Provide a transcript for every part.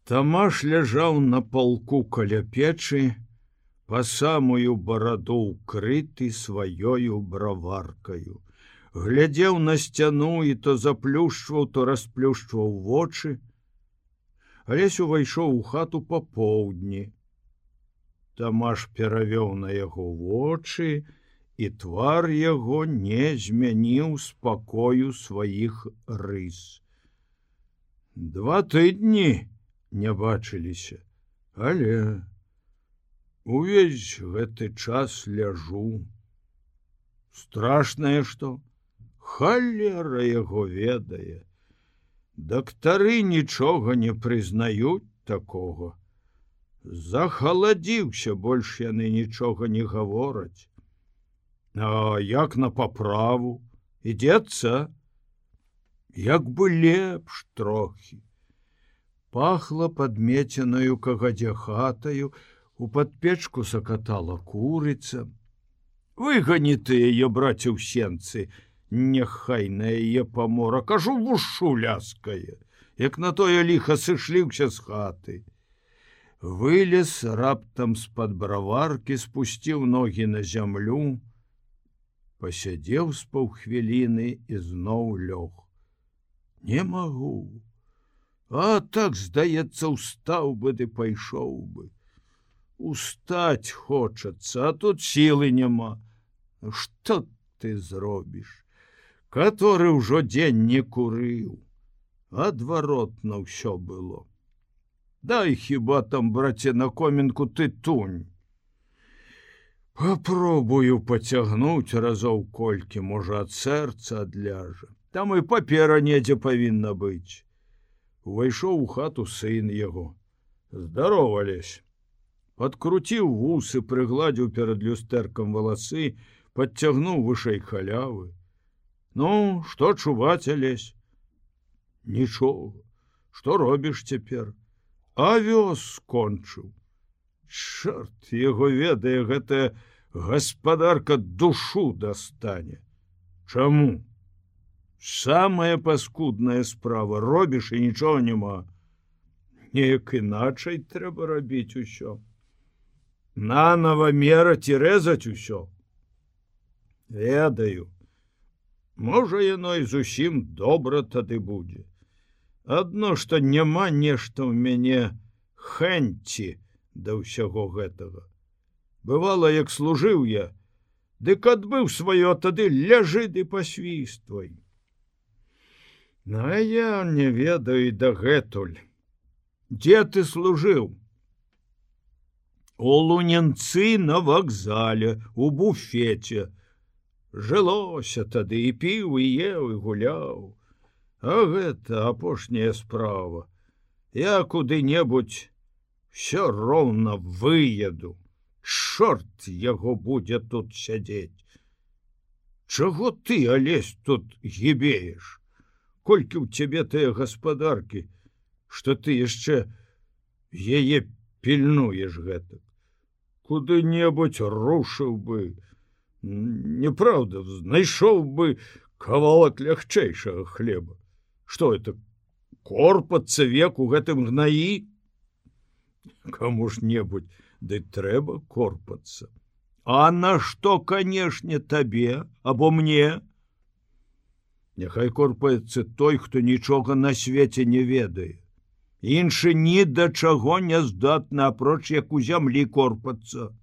Тамаш ляжаў на палку каля печы, па самую бараду ўкрыты сваёю браваркаю. Глядзеў на сцяну і то заплюшчваў, то расплюшчваў вочы. Алесь увайшоў у хату папоўдні. Тамаш перавёў на яго вочы, і твар яго не змяніў спакою сваіх рыс. 2 тыдні не бачыліся, але увесь гэты час ляжу. Страшнае што, халера яго ведае. Дактары нічога не прызнаюць такога. Захаладзіўся, больш яны нічога не гавораць. А як на паправу? Ідзецца? Як бы лепш трохі. Пахла падмеценаю кагадзе хатаю, у падпечку сакатала курыца. Выгані ты яе, браце, ў сенцы, няхай на яе памора, кажу, вушу ляскае, як на тое ліха сышліўся з хаты. Вылез раптам з-пад браваркі, спусціў ногі на зямлю, пасядзеў з паўхвіліны і зноў лёг. Не магу. А так, здаецца, устаў бы ды пайшоў бы. Устаць хочацца, а тут сілы няма. Што ты зробіш? Каторы ўжо дзень не курыў. Адваротна ўсё было. Дай хіба там, браце, на комінку тытунь. Папробую пацягнуць разоў колькі, можа, ад сэрца адляжа. Там і папера недзе павінна быць. Увайшоў у хату сын яго. Здарова, Алесь. Падкруціў вусы, прыгладзіў перад люстэркам валасы, падцягнуў вышэй халявы. Ну, што чуваць, Алесь? Нічога. Што робіш цяпер? Авёс скончыў. Чорт яго ведае, гэтая гаспадарка душу дастане. Чаму? Самая паскудная справа, робіш і нічога няма. Неяк іначай трэба рабіць усё. Нанова мераць і рэзаць усё. Ведаю. Можа, яно і зусім добра тады будзе. Адно, што няма нешта ў мяне хэнці да ўсяго гэтага. Бывала, як служыў я, дык адбыў сваё, тады ляжы ды пасвіствай. А я не ведаю дагэтуль. Дзе ты служыў? У Луненцы на вакзале, у буфеце. Жылося тады, і піў, і еў, і гуляў. А гэта апошняя справа. Я куды-небудзь всё роўна выеду. Чорт яго будзе тут сядзець. Чаго ты, Алесь, тут гібееш? Колькі ў цябе тыя гаспадаркі, што ты яшчэ яе пільнуеш гэтак. Куды-небудзь рушыў бы. Неправда, знайшоў бы кавалак лягчэйшага хлеба. Што это, корпацца век у гэтым гнаі? Каму-ж-небудзь, ды трэба корпацца. А на што, канешне, табе або мне? Няхай корпаецца той, хто нічога на свеце не ведае. Іншы ні да чаго не здатны, апроч як у зямлі корпацца.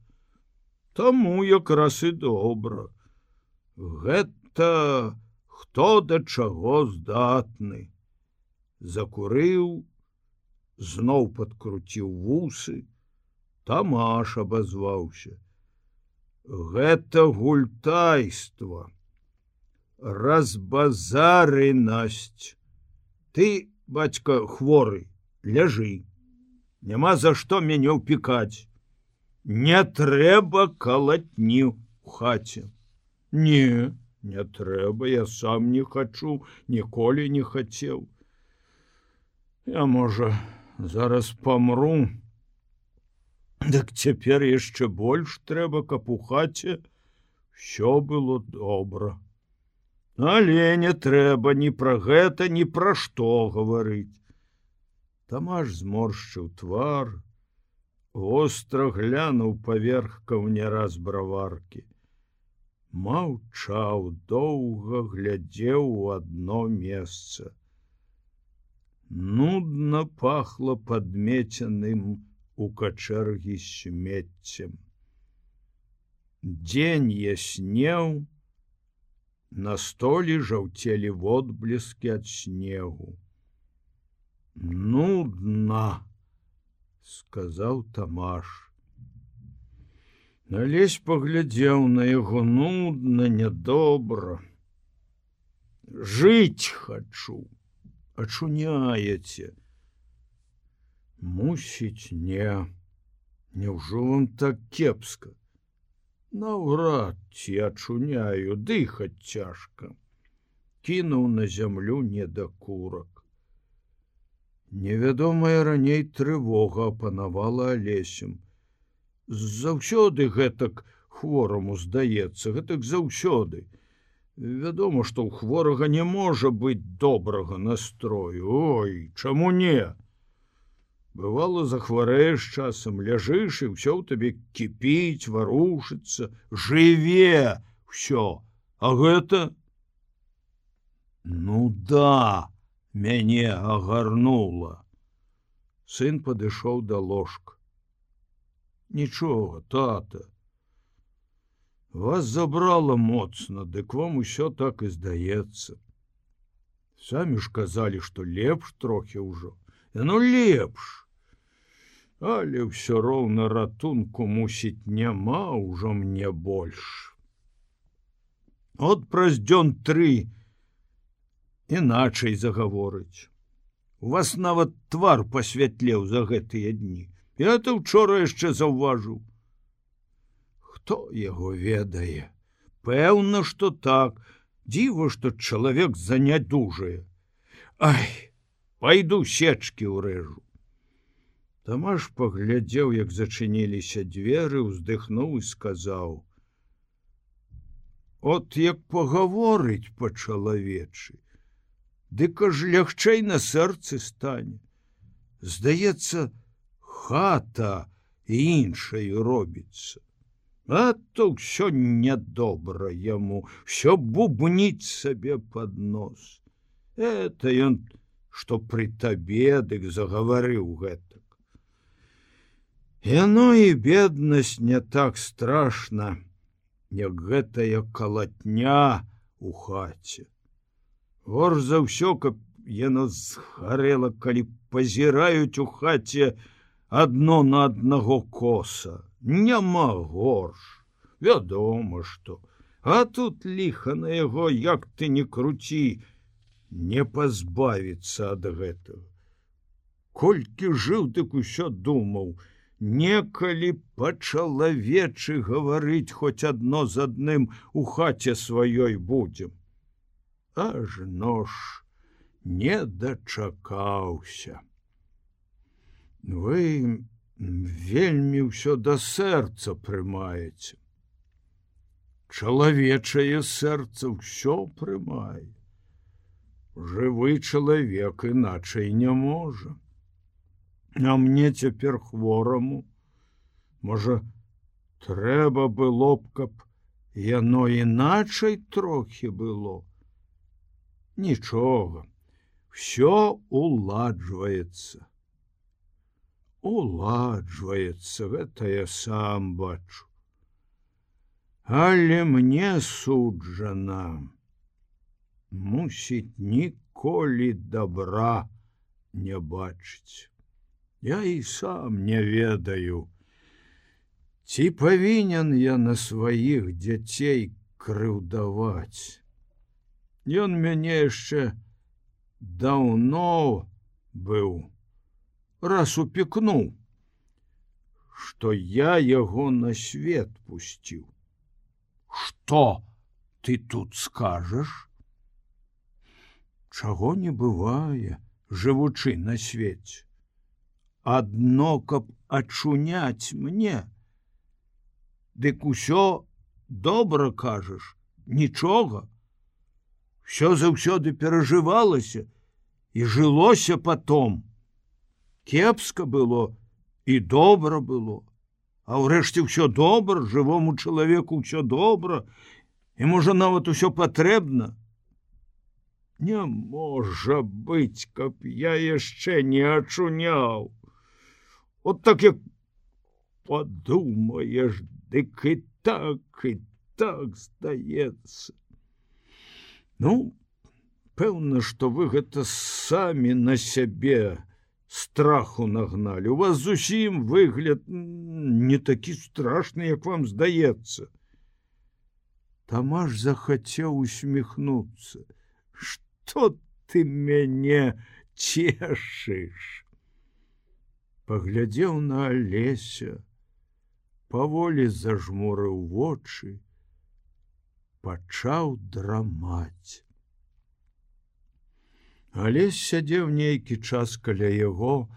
Таму якраз і добра. Гэта хто да чаго здатны. Закурыў, зноў падкруціў вусы. Тамаш абазваўся. Гэта гультайства. Разбазарынасць. Ты, бацька, хворы, ляжы. Няма за што мяне ўпікаць. Не трэба калатні ў хаце. Не, не трэба, я сам не хачу, ніколі не хацеў. Я, можа, зараз памру. Дык цяпер яшчэ больш трэба, каб у хаце ўсё было добра. Але не трэба ні пра гэта, ні пра што гаварыць. Тамаш зморшчыў твар, востра глянуў паверх каўняра з браваркі. Маўчаў, доўга глядзеў у адно месца. Нудна пахла падмеценым у качэргі смеццем. Дзень яснеў, на столі жаўцелі водбліскі ад снегу. Нудна, сказаў Тамаш. Алесь паглядзеў на яго. Нудна, нядобра. Жыць хачу. Ачуняеце. Мусіць, не. Няўжо вам так кепска? Наўрад ці ачуняю, дыхаць цяжка. Кінуў на зямлю недакурак. Невядомая раней трывога апанавала Алесем. Заўсёды гэтак хвораму здаецца, гэтак заўсёды. Вядома, што ў хворага не можа быць добрага настрою. Ой, чаму не? Бывало, захварэеш часам, ляжыш, і ўсё ў табе кіпіць, варушыцца, жыве ўсё. А гэта? Ну да, мяне агарнула. Сын падышоў да ложка. Нічога, тата. Вас забрала моцна, дык вам усё так і здаецца. Самі ж казалі, што лепш трохі ўжо. Ну лепш. Але ўсё роўна ратунку, мусіць, няма ўжо мне больш. От праз дзён 3 іначай загаворыць. У вас нават твар пасвятлеў за гэтыя дні. Я то учора яшчэ заўважыў. Хто яго ведае? Пэўна, што так. Дзіва, што чалавек занядужае. Ай, пайду сечкі ўрэжу. Тамаш паглядзеў, як зачыніліся дзверы, уздыхнуў і сказаў: от як пагаворыць па-чалавечы, дык аж лягчэй на сэрцы стане. Здаецца, хата іншаю робіцца. А то ўсё нядобра яму, ўсё бубніць сабе пад нос. Это ён, што пры табе, дык загаварыў гэтак. Яно і беднасць не так страшна, як гэтая калатня у хаце. Горш за ўсё, каб яно згарэла, калі пазіраюць у хаце адно на аднаго коса. Няма горш. Вядома, што. А тут ліха на яго, як ты не круці, не пазбавіцца ад гэтага. Колькі жыў, дык усё думаў, некалі па-чалавечы гаварыць хоць адно з адным у хаце сваёй будзем. Ажно ж не дачакаўся. Вы вельмі ўсё да сэрца прымаеце. Чалавечае сэрца ўсё прымае. Жывы чалавек іначай не можа. А мне цяпер хвораму. Можа, трэба было б, каб яно іначай трохі было. Нічога, всё уладжваецца. Уладжваецца, гэта я сам бачу. Але мне суджана, мусіць, ніколі добра не бачыць. Я і сам не ведаю, ці павінен я на сваіх дзяцей крыўдаваць. Ён мяне яшчэ даўно быў, раз упекнуў, што я яго на свет пусціў. Што ты тут скажаш? Чаго не бывае, жывучы на свеце. Адно, каб ачуняць мне. Дык усё добра кажаш, нічога. Всё заўсёды перажывалася і жылося потом. Кепска было і добра было. А ўрэшце ўсё добра, жывому чалавеку ўсё добра, і можа нават усё патрэбна. Не можа быць, каб я яшчэ не ачуняў. От так як падумаеш, дык і так здаецца. Ну, пэўна, што вы гэта самі на сябе страху нагналі. У вас зусім выгляд не такі страшны, як вам здаецца. Тамаш захацеў усміхнуцца. Што ты мяне цешыш? Паглядзеў на Алеся, паволі зажмурыў вочы, пачаў драмаць. Алесь сядзеў нейкі час каля яго,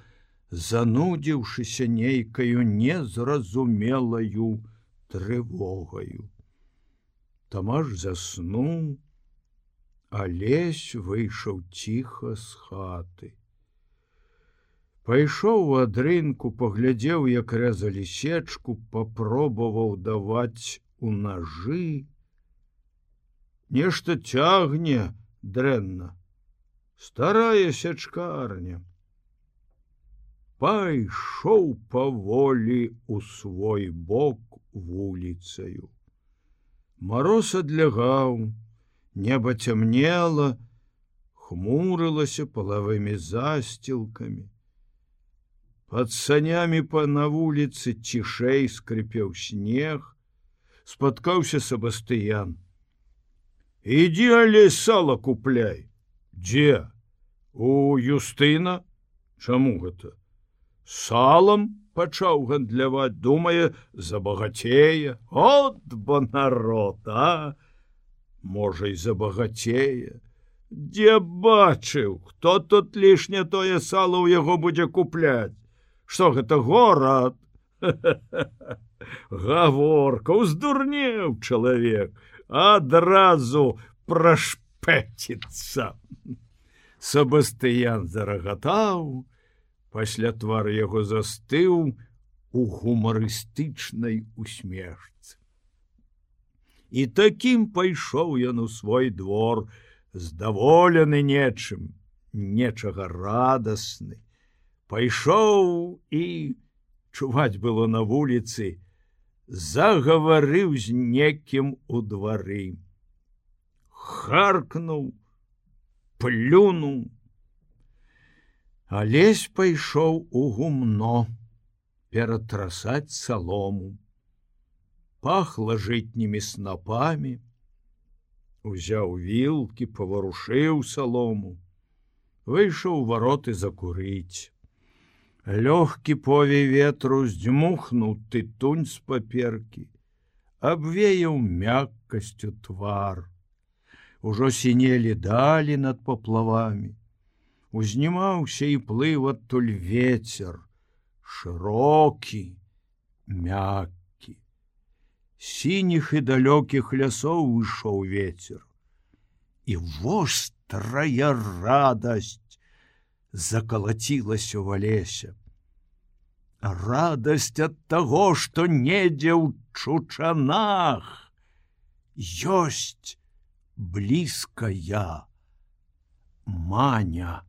занудзіўшыся нейкаю незразумелаю трывогаю. Тамаш заснуў, Алесь выйшаў ціха з хаты. Пайшоў у адрынку, паглядзеў, як рэзалі сечку, папробаваў даваць у нажы. Нешта цягне дрэнна. Старая сячкарня. Пайшоў паволі ў свой бок вуліцаю. Мароз адлягаў, неба цямнела, хмурылася палавымі засцілкамі. Пад санямі на вуліцы цішэй скрыпеў снег, спаткаўся Сабастыян. Ідзі, Алесь, сала купляй. Дзе? У Юстына? Чаму гэта? Салам пачаў гандляваць, думае, забагацее. От бо народ, а? Можа, і забагацее. Дзе бачыў, хто тут лішне тое сала ў яго будзе купляць? Што гэта, горад? Гаворка, уздурнеў чалавек, адразу прашпэціцца. Сабастыян зарагатаў, пасля твар яго застыў у гумарыстычнай усмешцы. І такім пайшоў ён у свой двор, здаволены нечым, нечага радасны. Пайшоў і, чуваць было на вуліцы, загаварыў з некім у двары. Харкнуў, плюнуў. Алесь пайшоў у гумно ператрасаць салому. Пахла жытнімі снапамі. Узяў вілкі, паварушыў салому. Выйшаў у вароты закурыць. Лёгкі повей ветру здзьмухнуў тытунь з паперкі, абвеяў мяккасцю твар. Ужо сінелі далі над паплавамі. Узнімаўся і плыў адтуль вецер, шырокі, мяккі. Сініх і далёкіх лясоў ішоў вецер. І вострая радасць закалацілася ў Алеся. Радасць ад таго, што недзе ў Чучанах ёсць блізкая Маня.